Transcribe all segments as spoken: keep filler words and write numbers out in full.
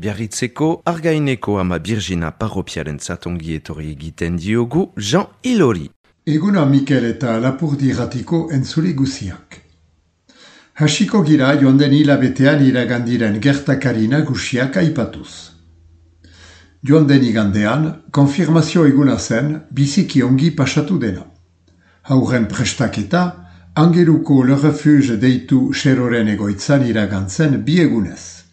Biarritzeko Argaineko ama Birgina parropiaren zatongi etorri egiten diogu Jean Ilori. Eguna Mikel eta Lapurdi Ratiko entzule guziak. Hasiko gira joan den hilabetean iragandiren gertakari nagusiak aipatuz. Joan den igandean, konfirmazio eguna zen biziki ongi pasatu dena. Hauren prestaketa, Angeluko Le Refuge deitu xeroren egoitzan iragantzen bi egunez.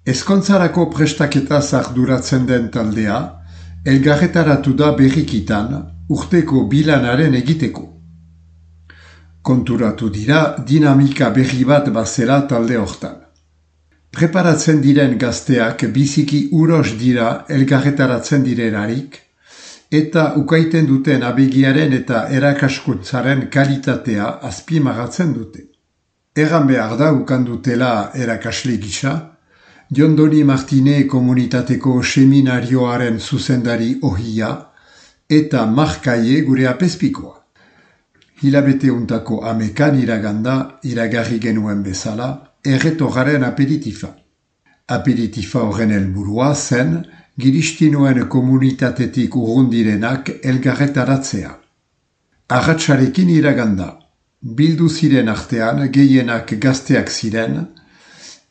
Ezkontzarako prestaketa arduratzen den taldea, elgarretaratu da berrikitan urteko bilanaren egiteko. Konturatu dira dinamika berri bat bazela talde hortan. Preparatzen diren gazteak biziki uros dira elgarretaratzen direlarik, eta ukaiten duten abegiaren eta erakaskuntzaren kalitatea azpimagatzen dute. Erran behar da ukandutela erakasle gisa, Jondoni Martine komunitateko seminarioaren zuzendari ohia eta markaie gure apezpikoa. Hilabete untako amekan iraganda iragarri genuen bezala erretorraren aperitifa. Aperitifa horren helburua zen giristinuen komunitatetik urrundirenak elgarretaratzea. Arratsarekin iraganda, bildu ziren artean gehienak gazteak ziren,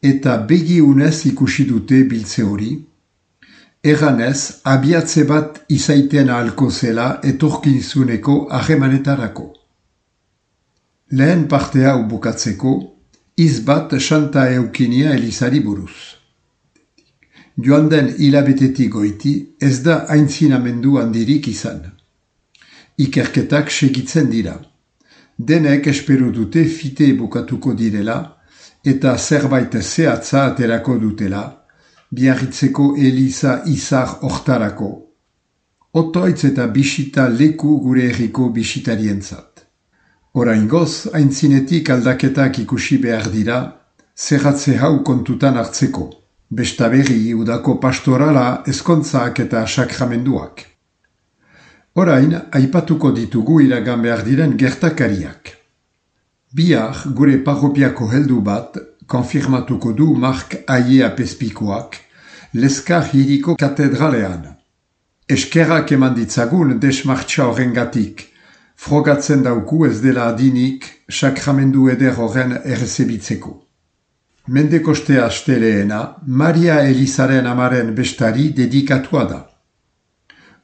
eta begiunez ikusi dute biltze hori, erranez abiatze bat izaiten ahalko zela etorkinzuneko harremanetarako. Lehen partea bukatzeko, iz bat Santa Eukinia Elizari buruz. Joan den hilabetetik goiti ez da aintzinamendu handirik izan. Ikerketak segitzen dira. Denek espero dute fite bukatuko direla, eta zerbait zehatza aterako dutela, Biarritzeko Eliza izar hortarako. Otoitz eta bisita leku gure herriko bisitarientzat. Oraingoz, aintzinetik aldaketak ikusi behar dira, zerratze hau kontutan hartzeko, bestaberri udako pastorala, ezkontzak eta sakramenduak. Orain, aipatuko ditugu iragan behar diren gertakariak. Bihar gure parropiako heldu bat konfirmatuko du Mark Aie apezpikoak Leskar hiriko katedralean. Eskerrak eman ditzagun desmartxa horrengatik, frogatzen dauku ez dela adinik sakramendu eder horren errezebitzeko. Mendekoste asteleena Maria Elizaren amaren bestari dedikatua da.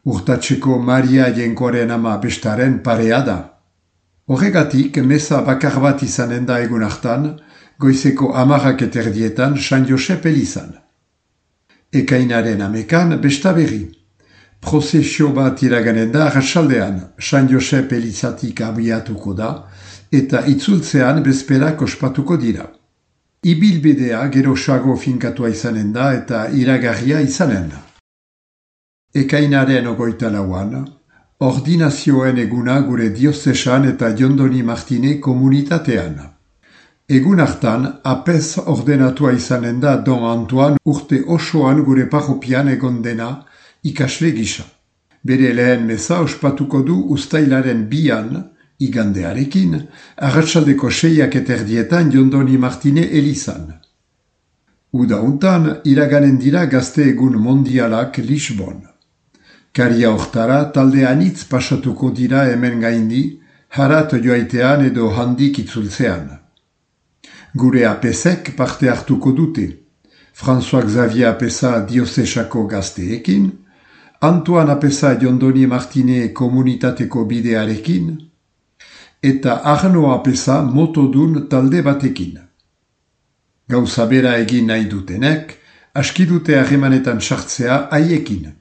Urtatzeko Maria jenkoaren ama bestaren parea da. Horregatik, meza bakar bat izanen da egun hartan, goizeko amarrak eterdietan San Josep Elizan. Ekainaren amekan besta berri. Prozesio bat iraganen da arratsaldean San Josep Elizatik abiatuko da, eta itzultzean bezperak ospatuko dira. Ibilbidea gerosago finkatua izanen da eta iragarria izanen. Ekainaren ogoita lauan, ordinazioen eguna gure diozesan eta Jondoni Martine komunitatean. Egun hartan, apez ordenatua izanen da Don Antoine urte osoan gure parropian egon dena ikasle gisa. Bere lehen meza ospatuko du uztailaren bian, igandearekin, arratsaldeko seiak eterdietan Jondoni Martine Elizan. Uda untan, iraganen dira gazte egun mondialak Lisbon. Karia hortara talde anitz pasatuko dira hemen gaindi, harat joaitean edo handik itzultzean. Gure apesek parte hartuko dute, François Xavier Apesa diozesako gazteekin, Antoine Apesa Jondoni Martine komunitateko bidearekin, eta Arno Apesa motodun talde batekin. Gauza bera egin nahi dutenek, aski dute harremanetan sartzea haiekin.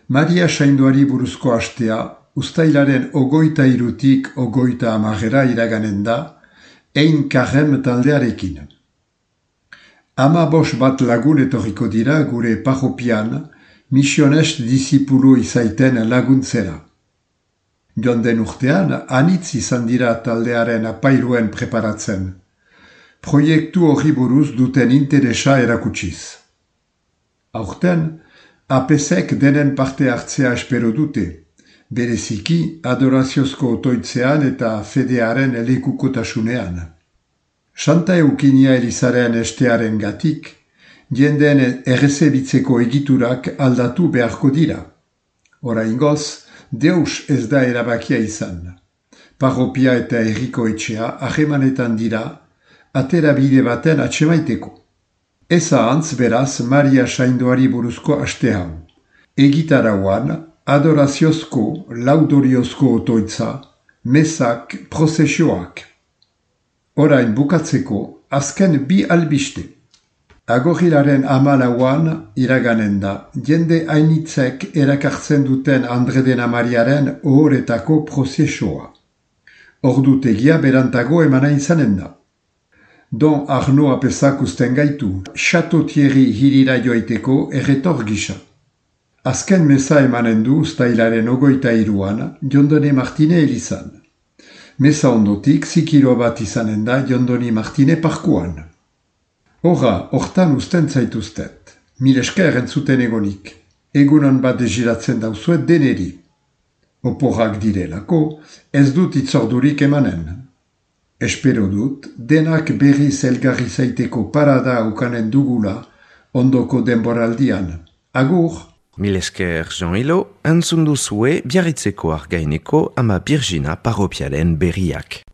Maria Sainduari buruzko astea, uztailaren ogoita irutik ogoita amagera iraganen da, ein karrem taldearekin. Ama bos bat lagun etorriko dira gure parropian, misionest disipulu izaiten laguntzera. Joan den urtean, anitz izan dira taldearen apairuen preparatzen. Proiektu horri buruz duten interesa erakutsiz. Aurten, apesek denen parte hartzea espero dute, bereziki adoraziozko otoitzean eta fedearen lekukotasunean. Santa Eukinia Elizaren estearen gatik, jendeen errezebitzeko egiturak aldatu beharko dira. Oraingoz, deus ez da erabakia izan. Parropia eta herriko etxea harremanetan dira, aterabide baten atsemaiteko. Ez ahantz beraz Maria Saindoari buruzko aste hau. Egitarauan, adoraziozko, laudoriozko otoitza, mesak, prozesioak. Orain bukatzeko, azken bi albiste. Agorilaren amalauan iraganen da, jende hainitzek erakartzen duten Andredena Mariaren ohoretako prozesioa. Ordutegia berantago emana izanen da. Don Arno apesak usten gaitu, Chateau Thierry hirira joaiteko erretor gisa. Azken meza emanen du uztailaren ogoita iruan, Jondone Martine elizan. Meza ondotik zikiro bat izanen da Jondoni Martine parkuan. Horra, hortan usten zaituztet. Mil esker entzuten egonik. Egunon bat deziratzen dauzuet deneri. Oporrak direlako, ez dut itzordurik emanen. Espero dut, denak berriz elgarri zaiteko parada ukanen dugula, ondoko denboraldian. Agur! Mil esker Jean-Hilo, entzun duzue Biarritzeko Argaineko Ama Birjina parropialen berriak.